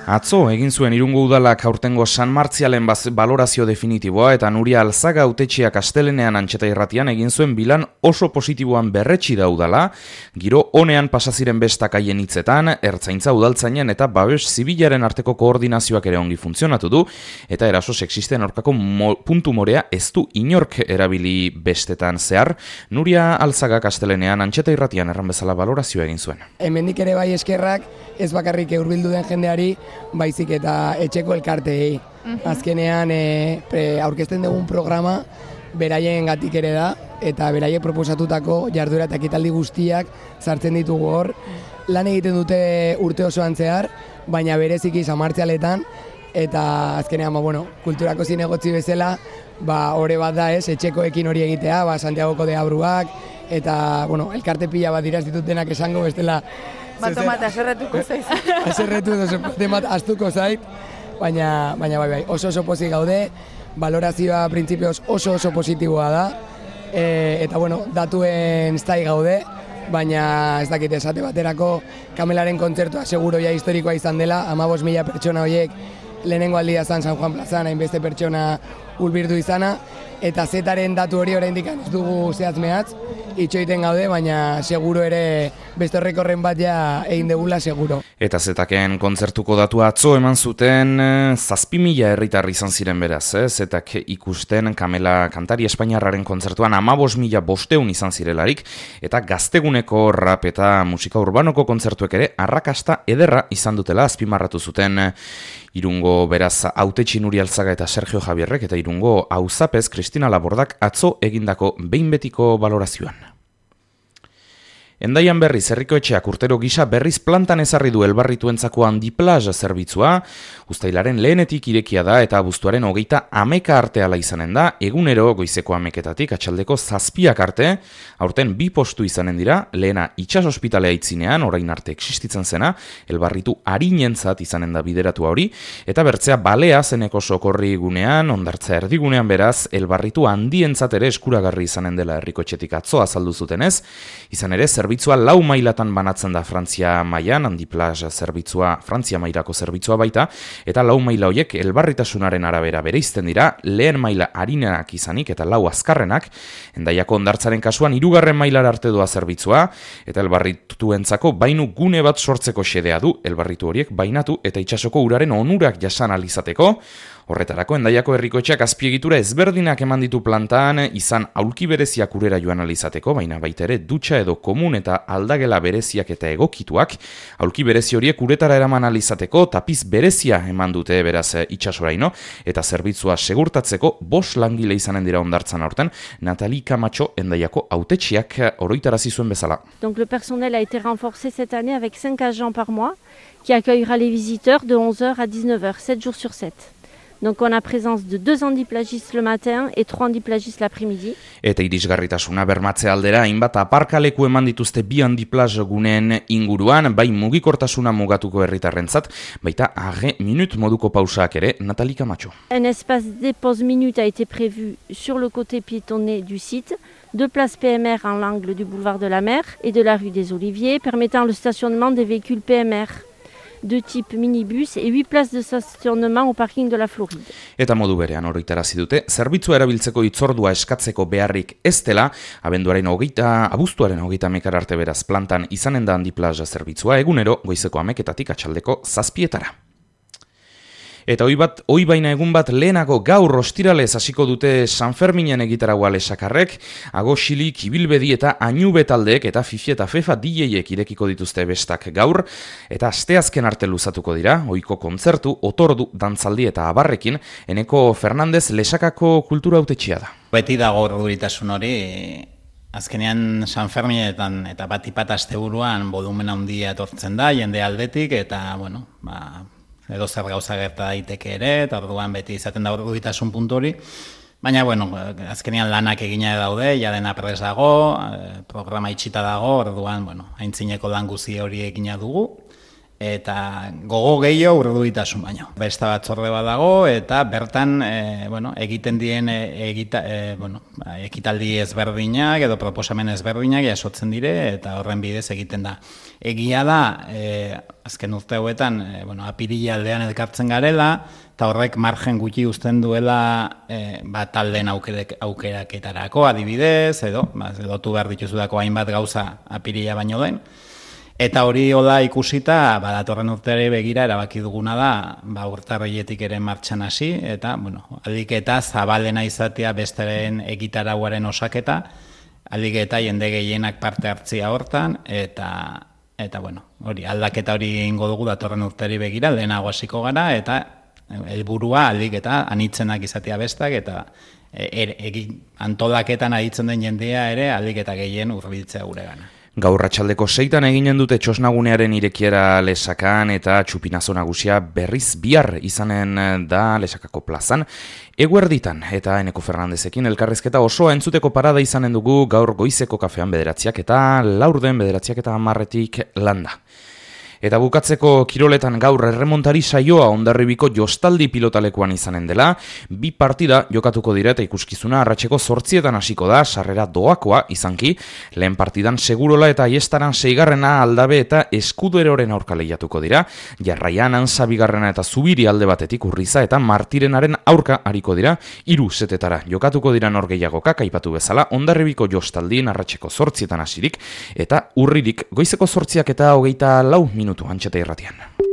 Atzo egin zuen Irungo Udalak aurtengo San Martzialen balorazio definitiboa eta Nuria Alzaga hautetxeak astelenean Antxeta Irratian egin zuen bilan oso positiboan berretsi da udala, giro onean pasaziren bestak haien hitzetan, ertzaintza udaltzainen eta babes zibilaren arteko koordinazioak ere ongi funtzionatu du, eta eraso sexisten aurkako puntu morea ez du inork erabili bestetan zehar. Nuria Alzaga astelenean Antxeta Irratian erran bezala balorazioa egin zuen. Hemendik ere bai eskerrak, ez bakarrik hurbildu den jendeari, baizik eta etxeko elkarteei. Azkenean aurkezten dugun programa beraien gatik ere da, eta beraiek proposatutako jarduera eta ekitaldi guztiak sartzen ditugu hor. Lan egiten dute urte osoan zehar, baina bereziki San Martzialetan, eta azkenean kulturako zinegotzi bezala, ore bat da etxekoekin hori egitea, Santiagoko deabruak, eta elkarte pila bat dira ez ditutenak esango bestela. Bat aserretuko zaiz. Aserretu edo astuko zait, baina bai, oso pozik gaude, balorazioa printzipioz oso positiboa da, eta datuen zai gaude, baina ez dakit esate baterako Kamelaren kontzertua seguro ja historikoa izan dela, 15.000 pertsona horiek lehenengo aldia zan San Juan plazan, hainbeste pertsona hurbildu izana, eta zetaren datu hori oraindik ez dugu zehatz-mehatz, itxoiten gaude, baina seguro ere beste horrekorren bat ja egin degula seguro. Eta zetaken kontzertuko datua atzo eman zuten 7.000 herritar izan ziren beraz, zetak ikusten Kamela kantari espainiarraren kontzertuan 15.500 izan zirelarik, eta gazteguneko rap eta musika urbanoko kontzertuek ere arrakasta ederra izan dutela azpimarratu zuten Irungo beraz hautetxi Nuria Alzaga eta Sergio Javierrek eta Irungo auzapez Cristina Labordak atzo egindako behin betiko balorazioan. Endaian berriz herrikoetxeak urtero gisa berriz plantan ezarri du elbarrituentzako handiplaza zerbitzua, uztailaren lehenetik irekia da eta abuztuaren 30 arte ala izanen da, egunero goizeko 10 atxaldeko 7 arte, aurten 2 postu izanen dira, lehena itsas ospitalea itzinean, orain arte existitzen zena, elbarritu arinentzat izanen da bideratua hori, eta bertzea balea zeneko sokorri gunean, ondartza erdigunean beraz, elbarritu handientzat ere eskuragarri izanen dela herrikoetxetik atzo azaldu zutenez, izan ere zerbitzua 4 mailatan banatzen da Frantzia mailan, handiplaza zerbitzua Frantzia mailako zerbitzua baita, eta 4 maila horiek elbarritasunaren arabera bereizten dira, lehen maila harinenak izanik eta 4 azkarrenak, Endaiako hondartzaren kasuan 3. mailara arte doa zerbitzua, eta elbarrituentzako bainu gune bat sortzeko xedea du, elbarritu horiek bainatu eta itsasoko uraren onurak jasan alizateko. Horretarako Endaiako herrikoetxeak azpiegitura ezberdinak eman ditu plantan, izan aulki bereziak urera joan alizateko, baina baita ere dutxa edo komun eta aldagela bereziak eta egokituak, aulki berezi horiek uretara eraman alizateko, tapiz berezia eman dute beraz itsasoraino, eta zerbitzua segurtatzeko 5 langile izanen dira hondartzan aurten, Natali Camacho Endaiako hautetxiak oroitarazi zuen bezala. Donc le personnel a été renforcé cette année avec 5 agents par mois qui accueillera les visiteurs de 11h à 19h, 7 jours sur 7. Donc on a présence de 2 handiplagistes le matin et 3 handiplagistes l'après-midi. Eta irisgarritasuna bermatze aldera hainbat aparkaleku eman dituzte 2 handiplaza guneen inguruan, bai mugikortasuna mugatuko herritarrentzat, baita arre minut moduko pausaak ere, Natali Camacho. Un espace des pauses minutes a été prévu sur le côté piétonné du site, 2 places PMR en l'angle du boulevard de la Mer et de la rue des Oliviers, permettant le stationnement des véhicules PMR. De type minibus et 8 places de stationnement au parking de la Floride. Eta modu berean oroitarazi dute, zerbitzua erabiltzeko hitzordua eskatzeko beharrik ez dela, abuztuaren 30 arte beraz plantan izanen da handiplaza zerbitzua egunero goizeko 10 atxaldeko 7. Eta hoi baina egun bat lehenago gaur ostiralez hasiko dute San Ferminen egitaragua lesakarrek, Agoxilik, Ibilbedi eta Añube taldeek eta Fifi eta Fefa DJek irekiko dituzte bestak gaur, eta asteazken arte luzatuko dira, ohiko kontzertu, otordu, dantzaldi eta abarrekin, Eneko Fernandez lesakako kultura hautetxea da. Beti dago urduritasun hori, azkenean San Ferminetan eta bat asteburuan volumen handia etortzen da, jende aldetik, eta edo zer gauza gerta daiteke ere, eta orduan beti izaten da urduritasun puntu hori. Baina, azkenean lanak egina daude, ja dena prest dago, programa itxita dago, orduan, aintzineko lan guzi hori egina dugu. eta gogo gehiago urduritasun baino. Besta batzorde bat dago, eta bertan egiten dien ekitaldi ezberdinak edo proposamen ezberdinak jasotzen dire, eta horren bidez egiten da. Egia da, azken urte hauetan, apirila aldean elkartzen garela, eta horrek margen gutxi uzten duela taldeen aukeraketarako adibidez, edo tu behar dituzudako hainbat gauza apirila baino den. Eta hori hola ikusita, datorren urteari begira erabaki duguna da, urtarrietik ere martxan hasi, eta, aldik eta zabalena izatea besteren egitarauaren osaketa, aldik eta jende gehienak parte hartzia hortan, eta hori, aldaketa hori ingo dugu datorren urteari begira, lehenago hasiko gara, eta helburua aldik eta anitzenak izatea bestak, eta antolaketan aditzen den jendea ere aldik eta gehien hurbiltzea gure gana. Gaur arratsaldeko 6 eginen dute txosnagunearen irekiera Lesakan eta txupinazo nagusia berriz bihar izanen da Lesakako plazan. Eguerditan eta Eneko Fernandezekin elkarrizketa osoa entzuteko parada izanen dugu gaur goizeko kafean 9 eta laurden 9 eta 10 landa. Eta bukatzeko kiroletan gaur erremontari saioa Hondarribiko jostaldi pilotalekuan izanen dela, 2 partida jokatuko dira eta ikuskizuna arratseko 8 hasiko da, sarrera doakoa izanki, lehen partidan Segurola eta Aiestaran 6. Aldabe eta Eskuderoren aurka lehiatuko dira, jarraian Antza 2. eta Zubiri alde batetik Urriza eta Martirenaren aurka ariko dira, 3 setetara jokatuko dira norgehiagokak aipatu bezala, Hondarribiko jostaldien arratseko 8 hasirik, eta urririk goizeko 8 eta 24 minutu Antxeta Irratian.